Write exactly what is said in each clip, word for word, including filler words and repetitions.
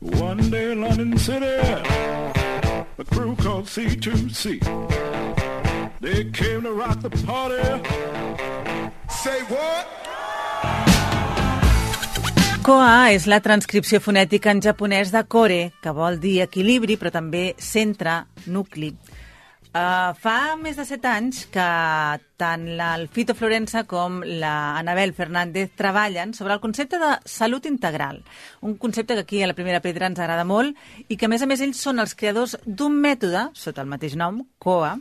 One day in London City, a crew called C two C. They came to rock the party. Say what? Koa és la transcripció fonètica en japonès de kore, que vol dir equilibri, però també centre, nucli. Uh, fa més de set anys que tant el Fito Florensa com la Anabel Fernández treballen sobre el concepte de salut integral, un concepte que aquí a la Primera Pedra ens agrada molt i que a més a més ells són els creadors d'un mètode, sota el mateix nom, Koa,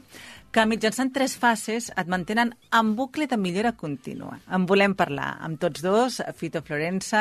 que mitjançant tres fases et mantenen en bucle de millora contínua. En volem parlar amb tots dos, Fito Florensa,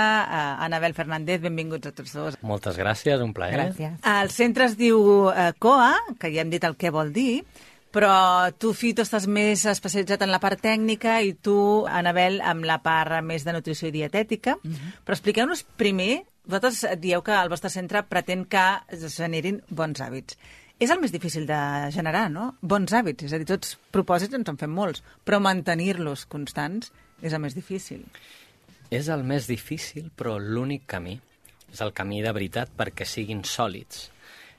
Anabel Fernández, benvinguts a tots dos. Moltes gràcies, un plaer. Gràcies. El centre es diu uh, Koa, que ja hem dit el què vol dir, però tu, Fito, estàs més especialitzat en la part tècnica i tu, Anabel, amb la part més de nutrició i dietètica. Uh-huh. Però expliqueu-nos primer, vosaltres dieu que el vostre centre pretén que es generin bons hàbits. És el més difícil de generar, no? Bons hàbits, és a dir, tots propòsits ens en fem molts, però mantenir-los constants és el més difícil. És el més difícil, però l'únic camí. És el camí de veritat perquè siguin sòlids.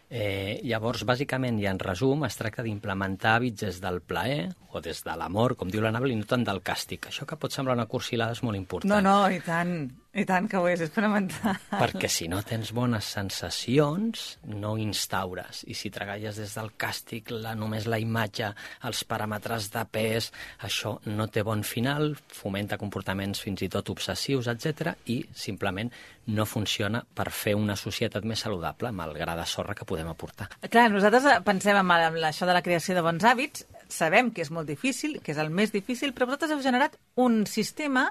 Eh, llavors, bàsicament, i en resum, es tracta d'implementar hàbits des del plaer o des de l'amor, com diu l'Anabel, i no tant del càstig. Això que pot semblar una cursilada és molt important. No, no, i tant, i tant que ho és, és fonamental. Perquè si no tens bones sensacions, no instaures. I si treballes des del càstig, la, només la imatge, els paràmetres de pes, això no té bon final, fomenta comportaments fins i tot obsessius, etcètera, i simplement no funciona per fer una societat més saludable amb el gra de sorra que podem aportar. Clar, nosaltres pensem en això de la creació de bons hàbits, sabem que és molt difícil, que és el més difícil, però vosaltres heu generat un sistema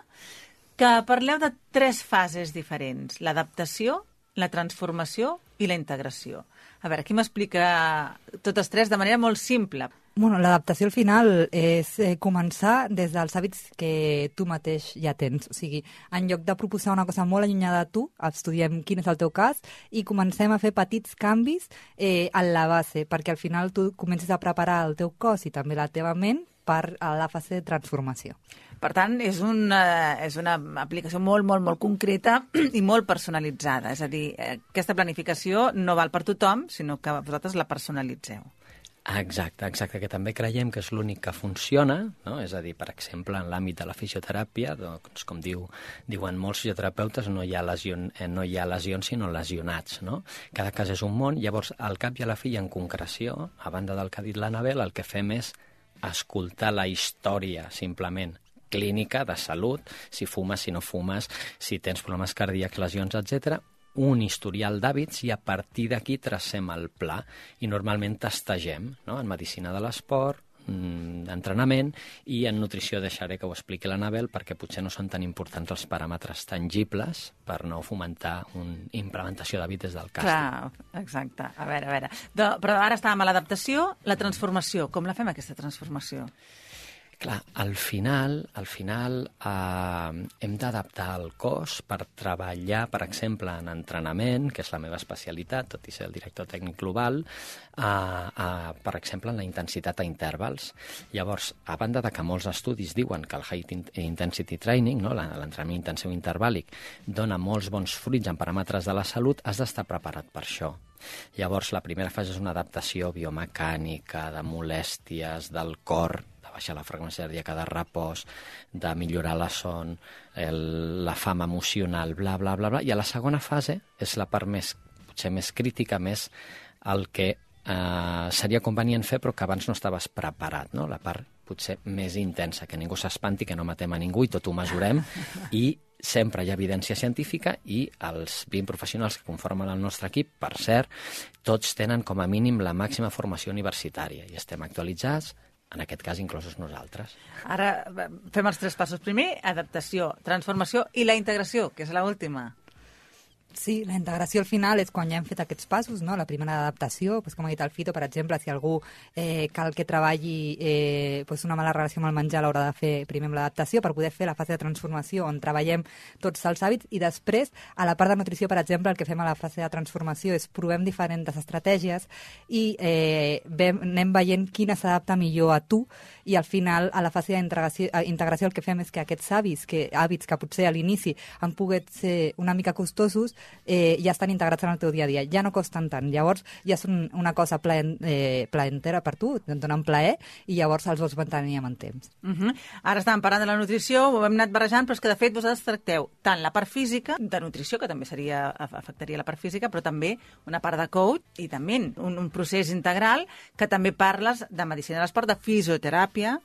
que parleu de tres fases diferents, l'adaptació, la transformació i la integració. A veure, aquí m'explica totes tres de manera molt simple. Bueno, l'adaptació al final és eh, començar des dels hàbits que tu mateix ja tens. O sigui, en lloc de proposar una cosa molt allunyada de tu, estudiem quin és el teu cas i comencem a fer petits canvis eh, en la base, perquè al final tu comences a preparar el teu cos i també la teva ment per a la fase de transformació. Per tant, és una, és una aplicació molt, molt, molt concreta i molt personalitzada. És a dir, aquesta planificació no val per tothom, sinó que vosaltres la personalitzeu. Exacte, exacte, que també creiem que és l'únic que funciona, no? És a dir, per exemple, en l'àmbit de la fisioteràpia, doncs, com diu, diuen molts fisioterapeutes, no hi ha, lesion, eh, no hi ha lesions, sinó lesionats, no? Cada cas és un món, llavors, al cap i a la fi, en concreció, a banda del que ha dit l'Anabel, el que fem és escoltar la història, simplement, clínica, de salut, si fumes, si no fumes, si tens problemes cardíacs, lesions, etcètera, un historial d'hàbits i a partir d'aquí tracem el pla i normalment testegem, no? En medicina de l'esport, d'entrenament i en nutrició deixaré que ho expliqui l'Anabel perquè potser no són tan importants els paràmetres tangibles per no fomentar una implementació d'hàbits des del càstig. Clar, exacte. A veure, a veure. De, però ara estàvem a l'adaptació, la transformació. Com la fem, aquesta transformació? Clar, al final, al final eh, hem d'adaptar el cos per treballar, per exemple, en entrenament, que és la meva especialitat, tot i ser el director tècnic global, eh, eh, per exemple, en la intensitat a intervals. Llavors, a banda de que molts estudis diuen que el High Intensity Training, no, l'entrenament intensiu intervàlic, dona molts bons fruits en paràmetres de la salut, has d'estar preparat per això. Llavors, la primera fase és una adaptació biomecànica, de molèsties, del cor, baixar la freqüència cardíaca, de repòs, de millorar la son, el, la fam emocional, bla, bla, bla, bla. I a la segona fase és la part més, potser més crítica, més el que eh, seria convenient fer però que abans no estaves preparat, no? La part potser més intensa, que ningú s'espanti, que no matem a ningú i tot ho mesurem i sempre hi ha evidència científica i els vint professionals que conformen el nostre equip, per cert, tots tenen com a mínim la màxima formació universitària i estem actualitzats, en aquest cas inclosos nosaltres. Ara fem els tres passos. Primer, adaptació, transformació i la integració, que és l'última. Sí, la integració al final és quan ja hem fet aquests passos, no? La primera adaptació, doncs, com ha dit el Fito, per exemple, si algú eh, cal que treballi eh, doncs una mala relació amb el menjar, l'haurà de fer primer amb l'adaptació per poder fer la fase de transformació on treballem tots els hàbits i després, a la part de nutrició, per exemple, el que fem a la fase de transformació és provem diferents estratègies i eh, vem, anem veient quina s'adapta millor a tu i al final, a la fase d'integració integració, el que fem és que aquests hàbits que, hàbits que potser a l'inici han pogut ser una mica costosos, eh, ja estan integrats en el teu dia a dia, ja no costen tant. Llavors ja són una cosa plaent, eh, plaentera per tu, et donen plaer, i llavors els vols mantenir amb el temps. Uh -huh. Ara estàvem parlant de la nutrició, ho hem anat barrejant, però és que de fet vosaltres tracteu tant la part física, de nutrició, que també seria afectaria la part física, però també una part de coach i també un, un procés integral que també parles de medicina de l'esport, de fisioteràpia,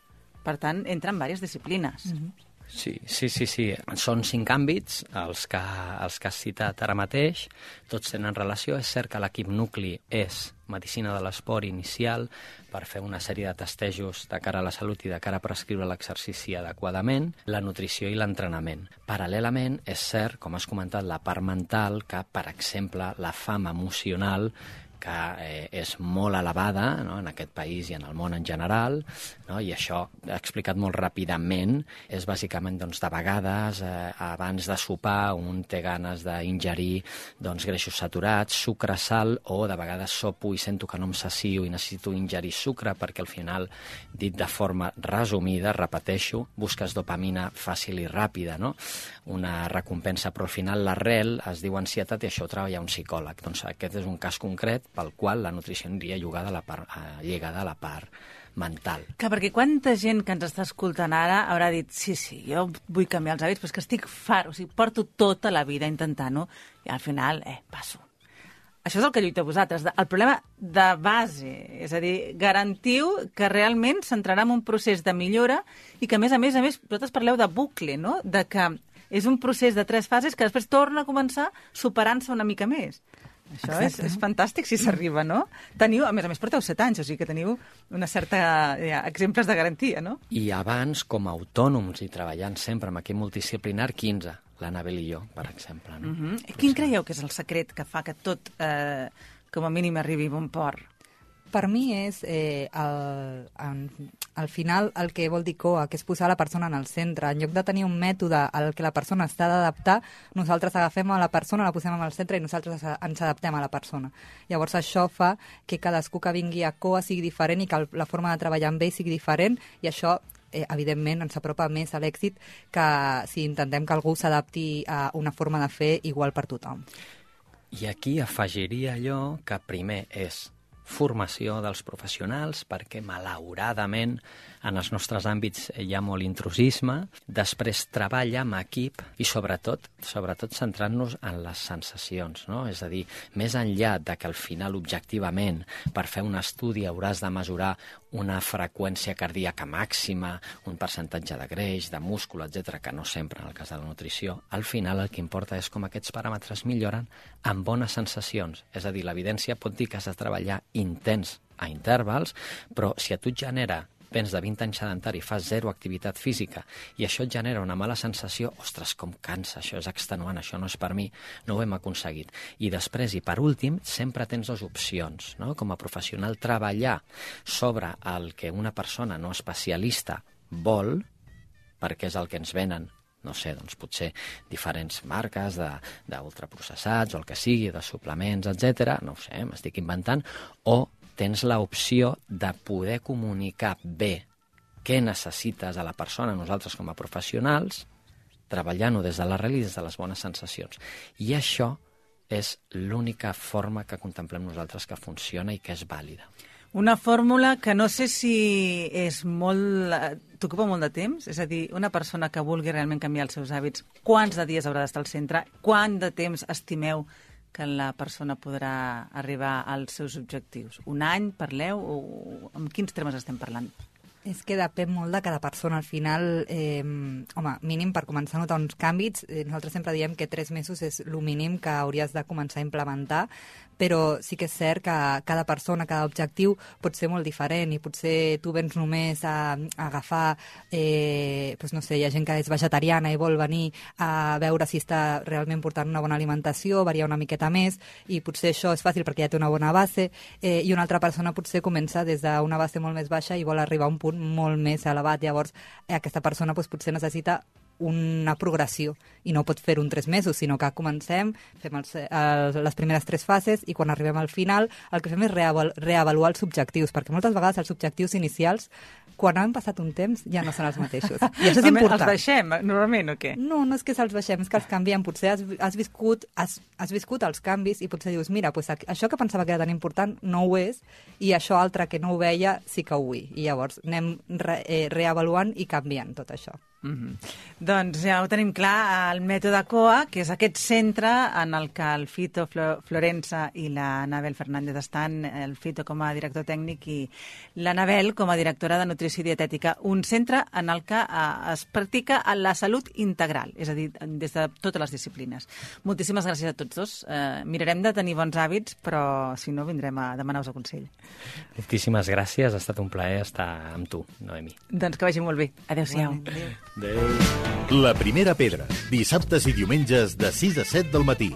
per tant, entra en diverses disciplines. Uh -huh. Sí, sí, sí, sí. Són cinc àmbits, els que, els que has citat ara mateix, tots tenen relació. És cert que l'equip nucli és medicina de l'esport inicial per fer una sèrie de testejos de cara a la salut i de cara a prescriure l'exercici adequadament, la nutrició i l'entrenament. Paral·lelament, és cert, com has comentat, la part mental, que, per exemple, la fam emocional, que eh, és molt elevada, no?, en aquest país i en el món en general, no?, i això, explicat molt ràpidament, és bàsicament, doncs, de vegades, eh, abans de sopar, un té ganes d'ingerir, doncs, greixos saturats, sucre, sal, o de vegades sopo i sento que no em sacio i necessito ingerir sucre, perquè al final, dit de forma resumida, repeteixo, busques dopamina fàcil i ràpida, no?, una recompensa, però al final l'arrel es diu ansietat i això ho treballa un psicòleg. Doncs aquest és un cas concret pel qual la nutrició aniria lligada a la part, eh, lligada a la part mental. Que perquè quanta gent que ens està escoltant ara haurà dit sí, sí, jo vull canviar els hàbits, però és que estic fart, o sigui, porto tota la vida intentant-ho i al final, eh, passo. Això és el que lluita vosaltres. El problema de base, és a dir, garantiu que realment s'entrarà en un procés de millora i que, a més a més, a més, vosaltres parleu de bucle, no?, de que és un procés de tres fases que després torna a començar superant-se una mica més. Això és, és fantàstic si s'arriba, no? Teniu, a més a més, porteu set anys, o sigui que teniu una certa ja, exemples de garantia, no? I abans, com a autònoms i treballant sempre amb equip multidisciplinar, quinze, l'Anabel i jo, per exemple. No? Uh -huh. Quin creieu que és el secret que fa que tot, eh, com a mínim, arribi a bon port? Per mi és, eh, el, en, al final, el que vol dir C O A, que és posar la persona en el centre. En lloc de tenir un mètode al que la persona està d'adaptar, nosaltres agafem a la persona, la posem en el centre i nosaltres ens adaptem a la persona. Llavors això fa que cadascú que vingui a C O A sigui diferent i que la forma de treballar amb ell sigui diferent, i això eh, evidentment ens apropa més a l'èxit que si intentem que algú s'adapti a una forma de fer igual per tothom. I aquí afegiria allò que primer és formació dels professionals, perquè malauradament en els nostres àmbits hi ha molt intrusisme, després treball amb equip i sobretot sobretot centrant-nos en les sensacions, no? És a dir, més enllà de que al final objectivament per fer un estudi hauràs de mesurar una freqüència cardíaca màxima, un percentatge de greix, de múscul, etcètera, que no sempre en el cas de la nutrició, al final el que importa és com aquests paràmetres milloren amb bones sensacions. És a dir, l'evidència pot dir que has de treballar intens a intervals, però si a tu et genera, vens de vint anys sedentari, fas zero activitat física i això et genera una mala sensació, ostres, com cansa, això és extenuant, això no és per mi, no ho hem aconseguit. I després, i per últim, sempre tens dues opcions, no? Com a professional, treballar sobre el que una persona no especialista vol, perquè és el que ens venen, no sé, doncs potser diferents marques d'ultraprocessats o el que sigui, de suplements, etcètera, no ho sé, m'estic inventant, o tens l'opció de poder comunicar bé què necessites a la persona, nosaltres com a professionals, treballant-ho des de l'arrel i des de les bones sensacions. I això és l'única forma que contemplem nosaltres que funciona i que és vàlida. Una fórmula que no sé si és molt... t'ocupa molt de temps? És a dir, una persona que vulgui realment canviar els seus hàbits, quants de dies haurà d'estar al centre? Quant de temps estimeu que la persona podrà arribar als seus objectius? Un any, parleu? O en quins termes estem parlant? És que depèn molt de cada persona. Al final, eh, home, mínim per començar a notar uns canvis, eh, nosaltres sempre diem que tres mesos és el mínim que hauries de començar a implementar, però sí que és cert que cada persona, cada objectiu pot ser molt diferent i potser tu vens només a, a agafar, eh, doncs no sé, hi ha gent que és vegetariana i vol venir a veure si està realment portant una bona alimentació, variar una miqueta més, i potser això és fàcil perquè ja té una bona base, eh, i una altra persona potser comença des d'una base molt més baixa i vol arribar a un punt molt més elevat. Llavors, eh, aquesta persona doncs, potser necessita una progressió i no pots fer-ho en tres mesos, sinó que comencem, fem els, els, les primeres tres fases i quan arribem al final el que fem és reaval, reavaluar els objectius, perquè moltes vegades els objectius inicials, quan han passat un temps, ja no són els mateixos. I això és important. Els baixem, normalment, o què? No, no és que se'ls baixem, és que els canviem. Potser has, has, viscut, has, has viscut els canvis i potser dius, mira, pues, això que pensava que era tan important no ho és, i això altre que no ho veia sí que ho vull. I llavors anem re, eh, reavaluant i canviant tot això. Mm-hmm. Doncs ja ho tenim clar, el mètode C O A, que és aquest centre en el que el Fito Florensa i la Anabel Fernández estan, el Fito com a director tècnic i l'Anabel com a directora de nutrició i dietètica, un centre en el que eh, es practica la salut integral, és a dir, des de totes les disciplines. Moltíssimes gràcies a tots dos. Eh, mirarem de tenir bons hàbits, però si no vindrem a demanar-vos el consell. Moltíssimes gràcies, ha estat un plaer estar amb tu, Noemi. Doncs que vagi molt bé. Adéu-siau. Adéu. La primera pedra, dissabtes i diumenges de sis a set del matí.